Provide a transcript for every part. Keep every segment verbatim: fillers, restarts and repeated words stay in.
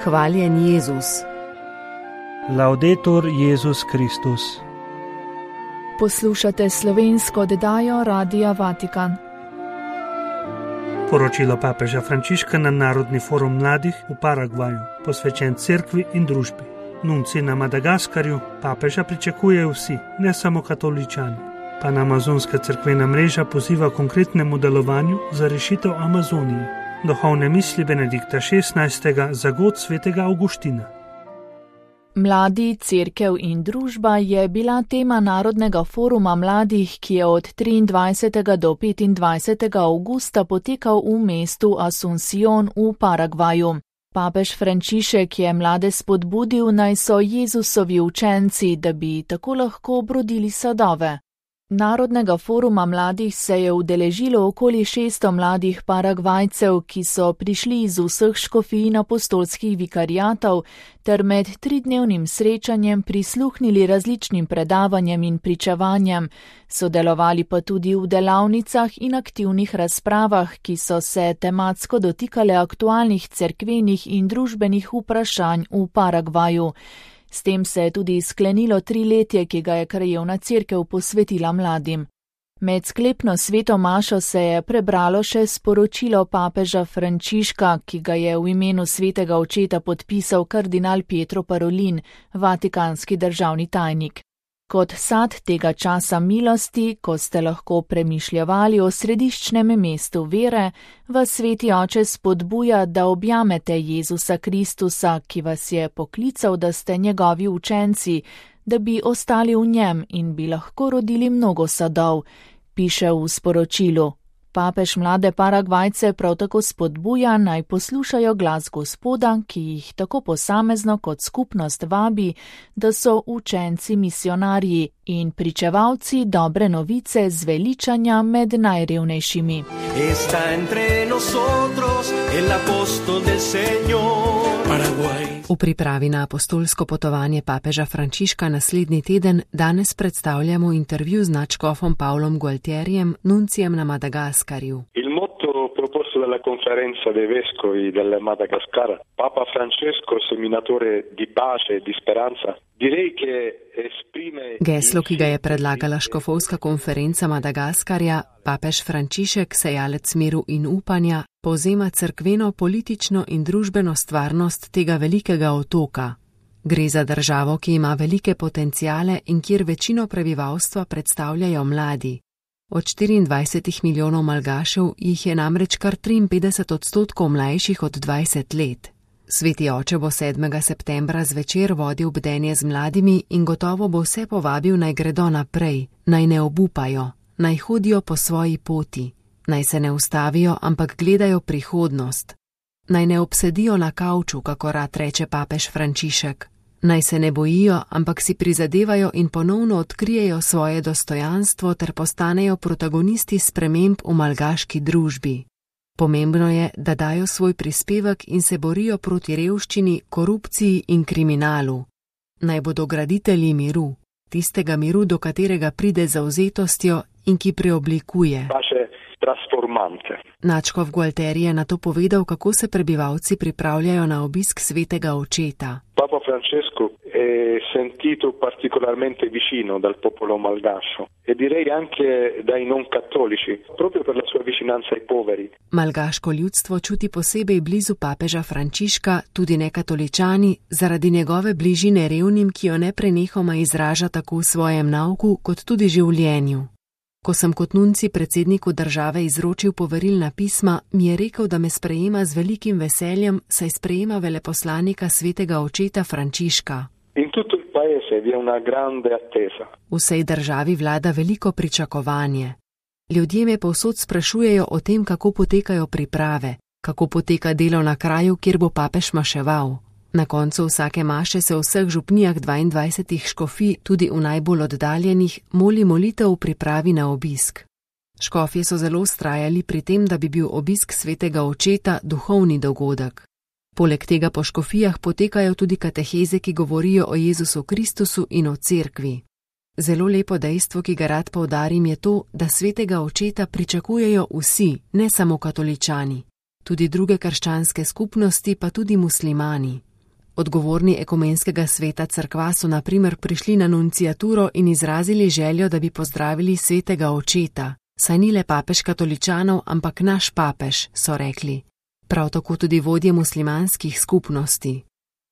Hvaljen Jezus. Laudetur Jezus Kristus. Poslušate slovensko oddajo Radia Vatikan. Poročilo papeža Frančiška na Narodni forum mladih v Paragvaju, posvečen cerkvi in družbi. Nunci na Madagaskarju papeža pričakujejo vsi, ne samo katoličani. Panamazonska cerkvena mreža poziva konkretnemu delovanju za rešitev Amazonije. Duhovne misli Benedikta šestnajstega za god svetega Avguština. Mladi, cerkev in družba je bila tema Narodnega foruma mladih, ki je od triindvajsetega do petindvajsetega avgusta potekal v mestu Asuncion v Paragvaju. Papež Frančišek je mlade spodbudil, naj so Jezusovi učenci, da bi tako lahko obrodili sadove. Narodnega foruma mladih se je udeležilo okoli šeststo mladih Paragvajcev, ki so prišli iz vseh škofij in apostolskih vikariatov ter med tridnevnim srečanjem prisluhnili različnim predavanjem in pričevanjem, sodelovali pa tudi v delavnicah in aktivnih razpravah, ki so se tematsko dotikale aktualnih cerkvenih in družbenih vprašanj v Paragvaju. S tem se je tudi sklenilo triletje, ki ga je krajevna cerkev posvetila mladim. Med sklepno sveto mašo se je prebralo še sporočilo papeža Frančiška, ki ga je v imenu svetega očeta podpisal kardinal Pietro Parolin, vatikanski državni tajnik. Kot sad tega časa milosti, ko ste lahko premišljevali o središčnem mestu vere, vas sveti oče spodbuja, da objamete Jezusa Kristusa, ki vas je poklical, da ste njegovi učenci, da bi ostali v njem in bi lahko rodili mnogo sadov, piše v sporočilu. Papež mlade Paragvajce prav tako spodbuja, naj poslušajo glas Gospoda, ki jih tako posamezno kot skupnost vabi, da so učenci misionarji in pričevalci dobre novice zveličanja med najrevnejšimi. V pripravi na apostolsko potovanje papeža Frančiška naslednji teden danes predstavljamo intervju z nadškofom Pavlom Gualtierijem, nuncijem na Madagaskarju. Il motto proposto dalla conferenza dei vescovi del Madagascar, Papa Francesco, seminatore di pace e di speranza, direi che esprime... Geslo, ki ga je predlagala škofovska konferenca Madagaskarja, papež Frančišek, sejalec miru in upanja, povzema cerkveno, politično in družbeno stvarnost tega velikega otoka. Gre za državo, ki ima velike potenciale in kjer večino prebivalstva predstavljajo mladi. Od štiriindvajsetih milijonov Malgašev jih je namreč kar triinpetdeset odstotkov mlajših od dvajset let. Sveti oče bo sedmega septembra zvečer vodil bdenje z mladimi in gotovo bo vse povabil, naj gredo naprej, naj ne obupajo, naj hodijo po svoji poti, naj se ne ustavijo, ampak gledajo prihodnost, naj ne obsedijo na kavču, kako rad reče papež Frančišek, naj se ne bojijo, ampak si prizadevajo in ponovno odkrijejo svoje dostojanstvo ter postanejo protagonisti sprememb v malgaški družbi. Pomembno je, da dajo svoj prispevek in se borijo proti revščini, korupciji in kriminalu. Naj bodo graditelji miru, tistega miru, do katerega pride zavzetostjo in ki preoblikuje. Nadškof Gualtieri je nato povedal, kako se prebivalci pripravljajo na obisk svetega očeta. Papa Francesco è sentito particolarmente vicino dal popolo malgascio e direi anche dai non cattolici, proprio per la sua vicinanza ai poveri. Malgaško ljudstvo čuti posebej blizu papeža Frančiška, tudi nekatoličani, zaradi njegove bližine revnim, ki jo neprenehoma izraža tako v svojem nauku kot tudi življenju. Ko sem kot nunci predsedniku države izročil poverilna pisma, mi je rekel, da me sprejema z velikim veseljem, saj sprejema veleposlanika svetega očeta Frančiška. In tutto il paese vi è una grande attesa. V vsej državi vlada veliko pričakovanje. Ljudje me povsod sprašujejo o tem, kako potekajo priprave, kako poteka delo na kraju, kjer bo papež maševal. Na koncu vsake maše se v vseh župnijah dvaindvajsetih škofij, tudi v najbolj oddaljenih, moli molitev v pripravi na obisk. Škofje so zelo vztrajali pri tem, da bi bil obisk svetega očeta duhovni dogodek. Poleg tega po škofijah potekajo tudi kateheze, ki govorijo o Jezusu Kristusu in o cerkvi. Zelo lepo dejstvo, ki ga rad poudarim, je to, da svetega očeta pričakujejo vsi, ne samo katoličani. Tudi druge krščanske skupnosti, pa tudi muslimani. Odgovorni ekumenskega sveta cerkva so na primer prišli na nunciaturo in izrazili željo, da bi pozdravili svetega očeta. Saj ni le papež katoličanov, ampak naš papež, so rekli. Prav tako tudi vodje muslimanskih skupnosti.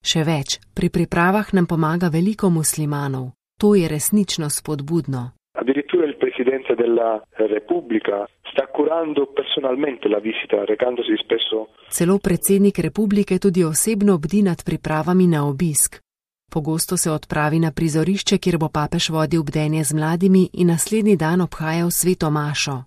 Še več, pri pripravah nam pomaga veliko muslimanov. To je resnično spodbudno. Addirittura il presidente della Repubblica sta curando personalmente la visita, recandosi spesso. Celo predsednik republike tudi osebno bdi nad pripravami na obisk. Pogosto se odpravi na prizorišče, kjer bo papež vodil bdenje z mladimi in naslednji dan obhajal sveto mašo.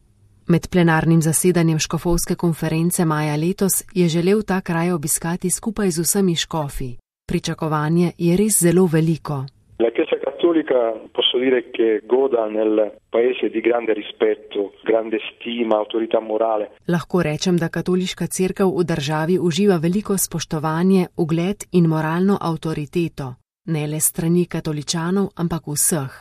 Med plenarnim zasedanjem škofovske konference maja letos je želel ta kraj obiskati skupaj z vsemi škofi. Pričakovanje je res zelo veliko. La Chiesa Cattolica posso dire che goda nel paese di grande rispetto, grande stima, autorità morale. Lahko rečem, da katoliška cerkev v državi uživa veliko spoštovanje, ugled in moralno avtoriteto. Ne le strani katoličanov, ampak vseh.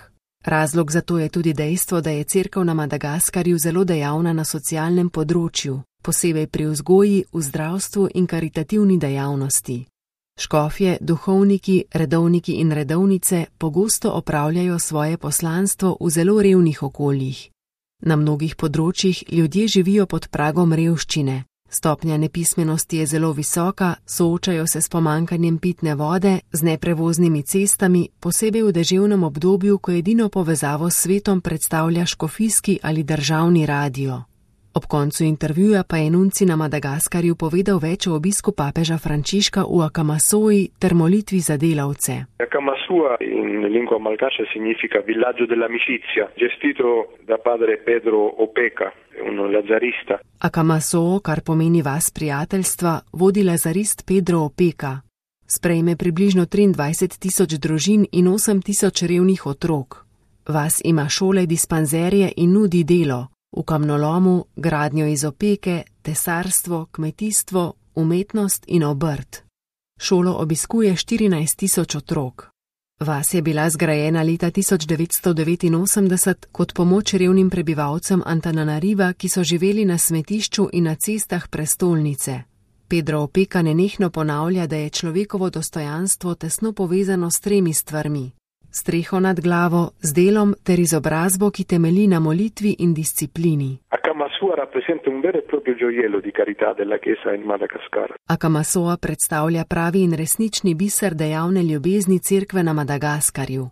Razlog za to je tudi dejstvo, da je cerkev na Madagaskarju zelo dejavna na socialnem področju, posebej pri vzgoji, v zdravstvu in karitativni dejavnosti. Škofje, duhovniki, redovniki in redovnice pogosto opravljajo svoje poslanstvo v zelo revnih okoljih. Na mnogih področjih ljudje živijo pod pragom revščine. Stopnja nepismenosti je zelo visoka, soočajo se s pomanjkanjem pitne vode, z neprevoznimi cestami, posebej v deževnem obdobju, ko edino povezavo s svetom predstavlja škofijski ali državni radio. Ob koncu intervjuja pa je nunci na Madagaskarju povedal več o obisku papeža Frančiška v Akamasoi ter molitvi za delavce. Akamasua in lingua malgaša significa villaggio dell'amicizia, gestito da padre Pedro Opeka, un lazarista. Akamasoo, kar pomeni vas prijateljstva, vodi lazarist Pedro Opeka. Sprejme približno triindvajset tisoč družin in osem tisoč revnih otrok. Vas ima šole, dispanzerje in nudi delo. V kamnolomu, gradnjo iz opeke, tesarstvo, kmetijstvo, umetnost in obrt. Šolo obiskuje štirinajst tisoč otrok. Vas je bila zgrajena leta tisoč devetsto devetinosemdeset kot pomoč revnim prebivalcem Antananariva, ki so živeli na smetišču in na cestah prestolnice. Pedro Opeka nenehno ponavlja, da je človekovo dostojanstvo tesno povezano s tremi stvarmi. Streho nad glavo, z delom ter izobrazbo, ki temelji na molitvi in disciplini. Akamasua rappresenta un vero e proprio gioiello di carità della Chiesa in Madagascar. Akamasua predstavlja pravi in resnični biser dejavne ljubezni cerkve na Madagaskarju.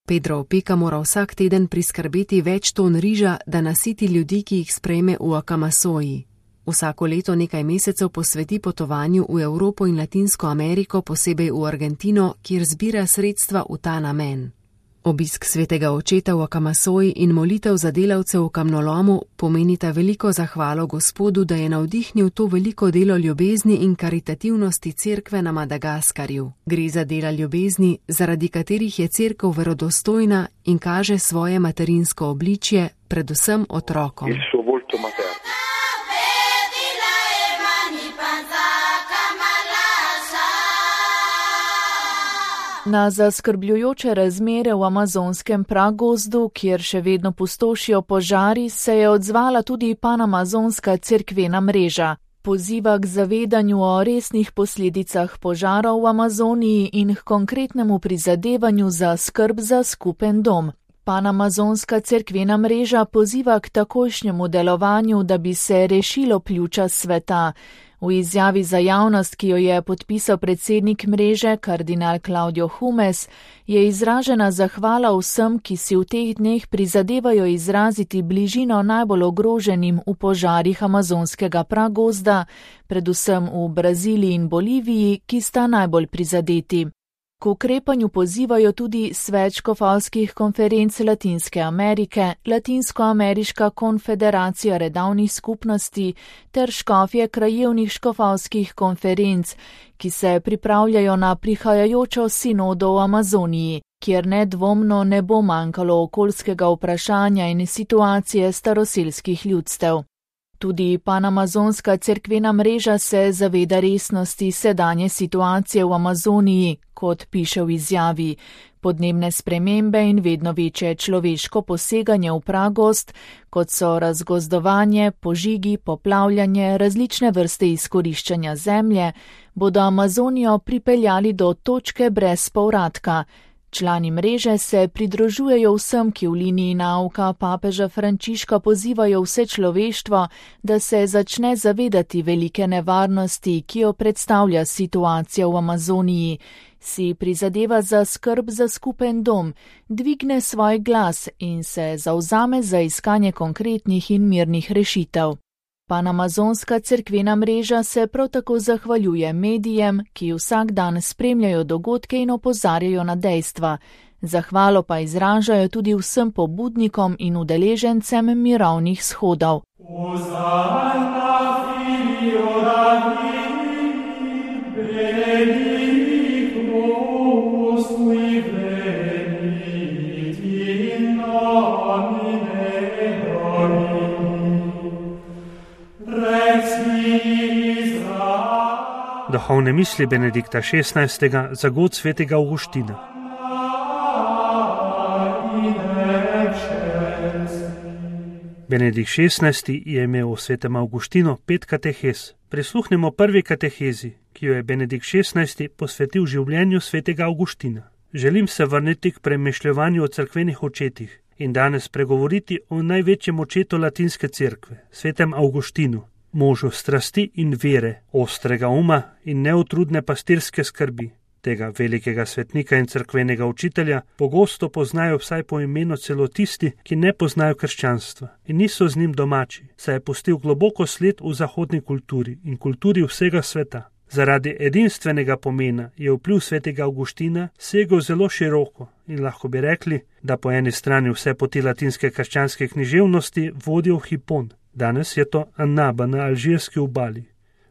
Pedro Opeka mora vsak teden priskrbeti več ton riža, da nasiti ljudi, ki jih sprejme v Akamasoji. Vsako leto nekaj mesecev posveti potovanju v Evropo in Latinsko Ameriko, posebej v Argentino, kjer zbira sredstva v ta namen. Obisk svetega očeta v Akamasoji in molitev za delavce v kamnolomu pomenita veliko zahvalo Gospodu, da je navdihnil to veliko delo ljubezni in karitativnosti cerkve na Madagaskarju. Gre za dela ljubezni, zaradi katerih je cerkev verodostojna in kaže svoje materinsko obličje, predvsem otrokom. Na zaskrbljujoče razmere v amazonskem pragozdu, kjer še vedno pustošijo požari, se je odzvala tudi panamazonska cerkvena mreža. Poziva k zavedanju o resnih posledicah požarov v Amazoniji in k konkretnemu prizadevanju za skrb za skupen dom. Panamazonska cerkvena mreža poziva k takojšnjemu delovanju, da bi se rešilo pljuča sveta. V izjavi za javnost, ki jo je podpisal predsednik mreže, kardinal Claudio Humes, je izražena zahvala vsem, ki si v teh dneh prizadevajo izraziti bližino najbolj ogroženim v požarih amazonskega pragozda, predvsem v Braziliji in Boliviji, ki sta najbolj prizadeti. K ukrepanju pozivajo tudi svet škofovskih konferenc Latinske Amerike, Latinsko-ameriška konfederacija redavnih skupnosti ter škofje krajevnih škofovskih konferenc, ki se pripravljajo na prihajajočo sinodo v Amazoniji, kjer nedvomno ne bo manjkalo okoljskega vprašanja in situacije staroselskih ljudstev. Tudi panamazonska cerkvena mreža se zaveda resnosti sedanje situacije v Amazoniji, kot piše v izjavi. Podnebne spremembe in vedno večje človeško poseganje v pragost, kot so razgozdovanje, požigi, poplavljanje, različne vrste izkoriščanja zemlje, bodo Amazonijo pripeljali do točke brez povratka. Člani mreže se pridružujejo vsem, ki v liniji nauka papeža Frančiška pozivajo vse človeštvo, da se začne zavedati velike nevarnosti, ki jo predstavlja situacija v Amazoniji, si prizadeva za skrb za skupen dom, dvigne svoj glas in se zavzame za iskanje konkretnih in mirnih rešitev. Panamazonska cerkvena mreža se prav tako zahvaljuje medijem, ki vsak dan spremljajo dogodke in opozarjajo na dejstva. Zahvalo pa izražajo tudi vsem pobudnikom in udeležencem mirovnih shodov. Duhovne misli Benedikta šestnajstega za god svetega Avguština. Benedikt šestnajsti je imel v svetem Avguštinu pet katehez. Prisluhnemo prvi katehezi, ki jo je Benedikt šestnajsti posvetil življenju svetega Avguština. Želim se vrniti k premišljevanju o cerkvenih očetih in danes pregovoriti o največjem očetu latinske cerkve, svetem Avguštinu, možu strasti in vere, ostrega uma in neutrudne pastirske skrbi. Tega velikega svetnika in cerkvenega učitelja pogosto poznajo vsaj po imenu celo tisti, ki ne poznajo krščanstva in niso z njim domači, saj je pustil globoko sled v zahodni kulturi in kulturi vsega sveta. Zaradi edinstvenega pomena je vpliv svetega Avguština segel zelo široko in lahko bi rekli, da po eni strani vse poti latinske krščanske književnosti vodijo v Hipon. Danes je to Annaba na alžirski obali,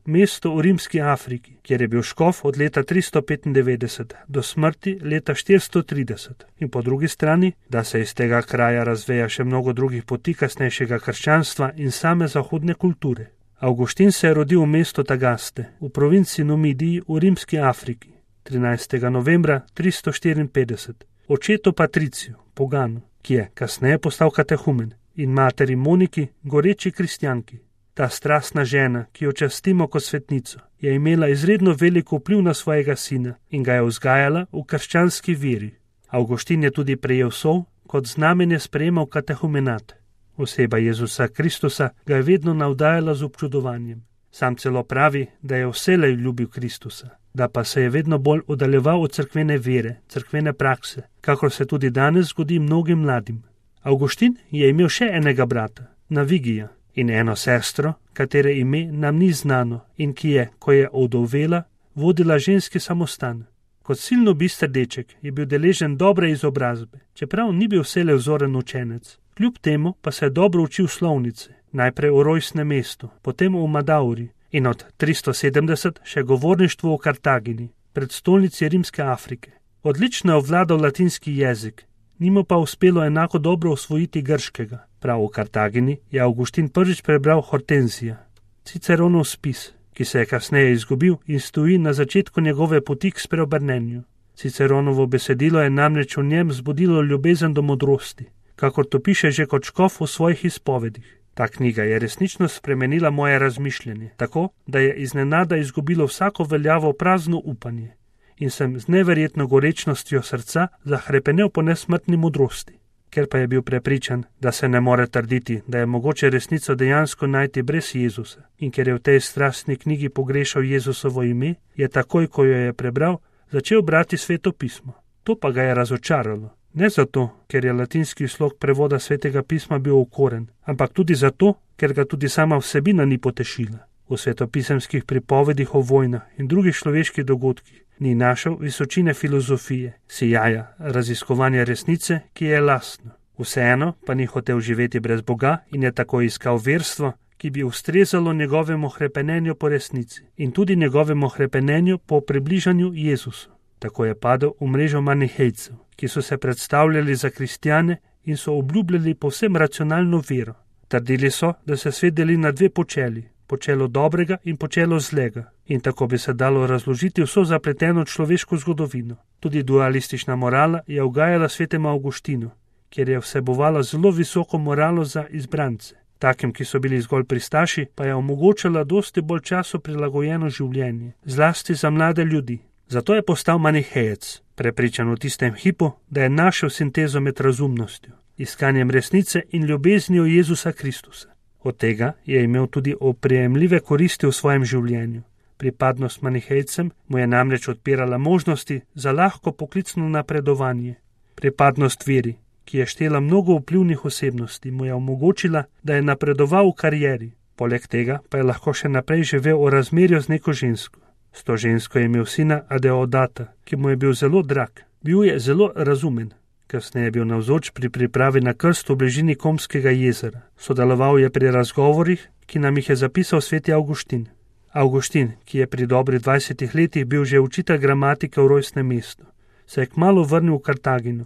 mesto v rimski Afriki, kjer je bil škof od leta tristo petindevetdeset do smrti leta štiristo trideset. In po drugi strani, da se iz tega kraja razveja še mnogo drugih poti kasnejšega krščanstva in same zahodne kulture. Avguštin se je rodil v mestu Tagaste, v provinci Numidiji v rimski Afriki, trinajstega novembra tristo štiriinpetdeset. Očetu Patriciju, poganu, ki je kasneje postal katehumen, in materi Moniki, goreči kristjanki. Ta strastna žena, ki jo častimo kot svetnico, je imela izredno veliko vpliv na svojega sina in ga je vzgajala v krščanski veri. Avguštin je tudi prejel sol, kot znamenje sprejemal katehumenat. Oseba Jezusa Kristusa ga je vedno navdajala z občudovanjem. Sam celo pravi, da je vselej ljubil Kristusa, da pa se je vedno bolj oddaljeval od cerkvene vere, cerkvene prakse, kakor se tudi danes zgodi mnogim mladim. Avguštin je imel še enega brata, Navigija, in eno sestro, katere ime nam ni znano in ki je, ko je ovdovela, vodila ženski samostan. Kot silno bister deček je bil deležen dobre izobrazbe, čeprav ni bil vselej vzoren učenec. Kljub temu pa se je dobro učil slovnice, najprej v rojstnem mestu, potem v Madauri in od tristo sedemdeset še govorništvo v Kartagini, predstolnici rimske Afrike. Odlično je ovladal latinski jezik, nimo pa uspelo enako dobro osvojiti grškega. Prav v Kartagini je Avguštin prvič prebral Hortenzija, Ciceronov spis, ki se je kasneje izgubil in stoji na začetku njegove poti k spreobrnenju. Ciceronovo besedilo je namreč v njem zbudilo ljubezen do modrosti, kakor to piše že kot škof v svojih izpovedih. Ta knjiga je resnično spremenila moje razmišljanje, tako da je iznenada izgubilo vsako veljavo prazno upanje in sem z neverjetno gorečnostjo srca zahrepenel po nesmrtni modrosti. Ker pa je bil prepričan, da se ne more trditi, da je mogoče resnico dejansko najti brez Jezusa in ker je v tej strastni knjigi pogrešal Jezusovo ime, je takoj, ko jo je prebral, začel brati Sveto pismo. To pa ga je razočaralo. Ne zato, ker je latinski slog prevoda Svetega pisma bil okoren, ampak tudi zato, ker ga tudi sama vsebina ni potešila. V svetopisemskih pripovedih o vojnah in drugih človeških dogodkih ni našel visočine filozofije, sijaja, raziskovanja resnice, ki je lastno. Vseeno pa ni hotel živeti brez Boga in je tako iskal verstvo, ki bi ustrezalo njegovemu hrepenenju po resnici in tudi njegovemu hrepenenju po približanju Jezusu. Tako je padel v mrežo manihejcev, ki so se predstavljali za kristjane in so obljubljali povsem racionalno vero. Trdili so, da se svet deli na dve počeli, počelo dobrega in počelo zlega. In tako bi se dalo razložiti vso zapleteno človeško zgodovino. Tudi dualistična morala je ugajala svetemu Avguštinu, kjer je vsebovala zelo visoko moralo za izbrance. Takim, ki so bili zgolj pristaši, pa je omogočala dosti bolj času prilagojeno življenje, zlasti za mlade ljudi. Zato je postal manihejec, prepričan v tistem hipu, da je našel sintezo med razumnostjo, iskanjem resnice in ljubeznijo Jezusa Kristusa. Od tega je imel tudi oprijemljive koristi v svojem življenju. Pripadnost manihejcem mu je namreč odpirala možnosti za lahko poklicno napredovanje. Pripadnost veri, ki je štela mnogo vplivnih osebnosti, mu je omogočila, da je napredoval v karieri. Poleg tega pa je lahko še naprej živel v razmerju z neko žensko. S to žensko je imel sina Adeodata, ki mu je bil zelo drag. Bil je zelo razumen. Kasneje je bil navzoč pri pripravi na krst v bližini Komskega jezera. Sodeloval je pri razgovorih, ki nam jih je zapisal sveti Avguštin. Avguštin, ki je pri dobrih dvajsetih letih bil že učitelj gramatike v rojstnem mestu, se je kmalu vrnil v Kartagino,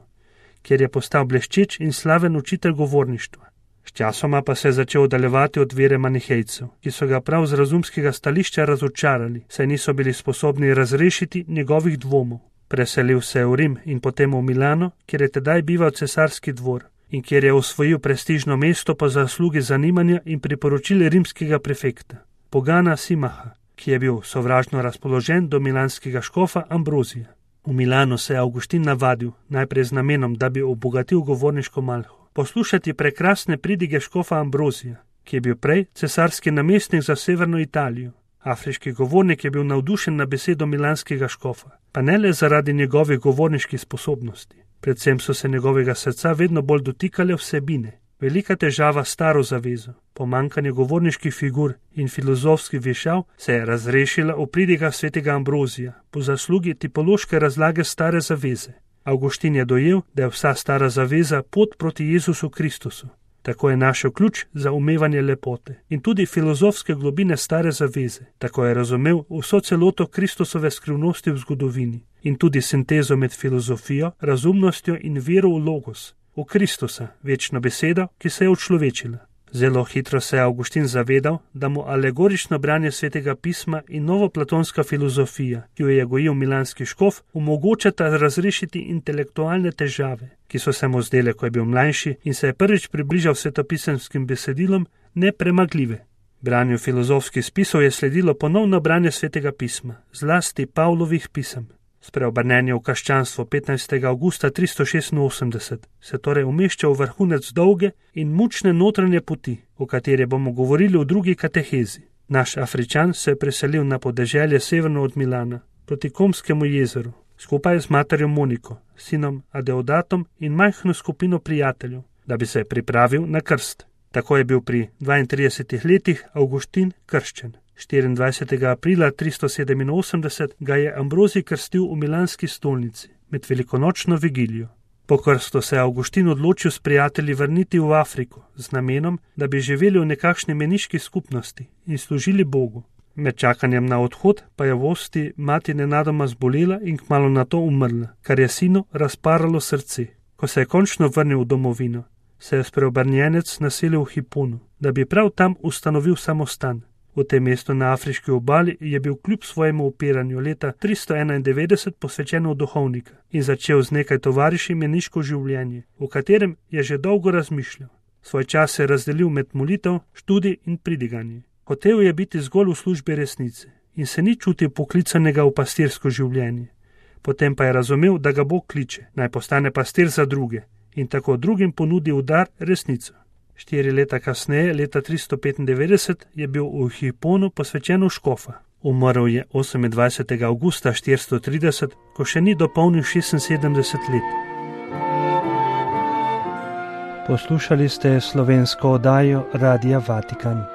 kjer je postal bleščeč in slaven učitelj govorništva. Sčasoma pa se je začel oddaljevati od vere manihejcev, ki so ga prav z razumskega stališča razočarali, saj niso bili sposobni razrešiti njegovih dvomov. Preselil se je v Rim in potem v Milano, kjer je tedaj bival cesarski dvor in kjer je osvojil prestižno mesto po zaslugi zanimanja in priporočil rimskega prefekta, Pogana Simaha, ki je bil sovražno razpoložen do milanskega škofa Ambrozija. V Milano se je Avguštin navadil, najprej z namenom, da bi obogatil govorniško malho, poslušati prekrasne pridige škofa Ambrozija, ki je bil prej cesarski namestnik za severno Italijo. Afriški govornik je bil navdušen na besedo milanskega škofa, pa ne le zaradi njegovih govorniških sposobnosti. Predvsem so se njegovega srca vedno bolj dotikale vsebine. Velika težava s staro zavezo, pomanjkanje govorniških figur in filozofskih vešav se je razrešila v pridigah svetega Ambrozija po zaslugi tipološke razlage stare zaveze. Avguštin je dojel, da je vsa stara zaveza pot proti Jezusu Kristusu. Tako je našel ključ za umevanje lepote in tudi filozofske globine stare zaveze. Tako je razumel vso celoto Kristusove skrivnosti v zgodovini in tudi sintezo med filozofijo, razumnostjo in vero v logos, v Kristusa, večno besedo, ki se je učlovečila. Zelo hitro se je Avguštin zavedal, da mu alegorično branje svetega pisma in novoplatonska filozofija, ki jo je gojil milanski škof, omogočata razrešiti intelektualne težave, ki so se mu zdele, ko je bil mlajši in se je prvič približal svetopisenskim besedilom, nepremagljive. Branju filozofskih spisov je sledilo ponovno branje svetega pisma, zlasti Pavlovih pisem. Spreobrnenje v krščanstvo petnajstega avgusta tristo šestinosemdeset se torej umešča v vrhunec dolge in mučne notranje poti, o kateri bomo govorili v drugi katehezi. Naš Afričan se je preselil na podeželje severno od Milana, proti Komskemu jezeru, skupaj z materjo Moniko, sinom Adeodatom in majhno skupino prijateljev, da bi se pripravil na krst. Tako je bil pri dvaintridesetih letih Avguštin krščen. štiriindvajsetega aprila tristo sedeminosemdeset ga je Ambrozij krstil v milanski stolnici med velikonočno vigilijo. Po krstu se je Avguštin odločil s prijatelji vrniti v Afriko z namenom, da bi živeli v nekakšni meniški skupnosti in služili Bogu. Med čakanjem na odhod pa je v Osti mati nenadoma zbolela in kmalu nato umrla, kar je sinu razparalo srce. Ko se je končno vrnil v domovino, se je spreobrnjenec naselil v Hiponu, da bi prav tam ustanovil samostan. V tem mestu na afriški obali je bil kljub svojemu upiranju leta tristo enaindevetdeset posvečen v duhovnika in začel z nekaj tovariši meniško življenje, v katerem je že dolgo razmišljal. Svoj čas se je razdelil med molitev, študij in pridiganje. Hotel je biti zgolj v službi resnice in se ni čutil poklicanega v pastirsko življenje. Potem pa je razumel, da ga Bog kliče, naj postane pastir za druge in tako drugim ponudi v dar resnico. Štiri leta kasneje, leta tristo petindevetdeset, je bil v Hiponu posvečen v škofa. Umrl je osemindvajsetega avgusta štiristo trideset, ko še ni dopolnil šestinsedemdeset let. Poslušali ste slovensko oddajo Radia Vatikan.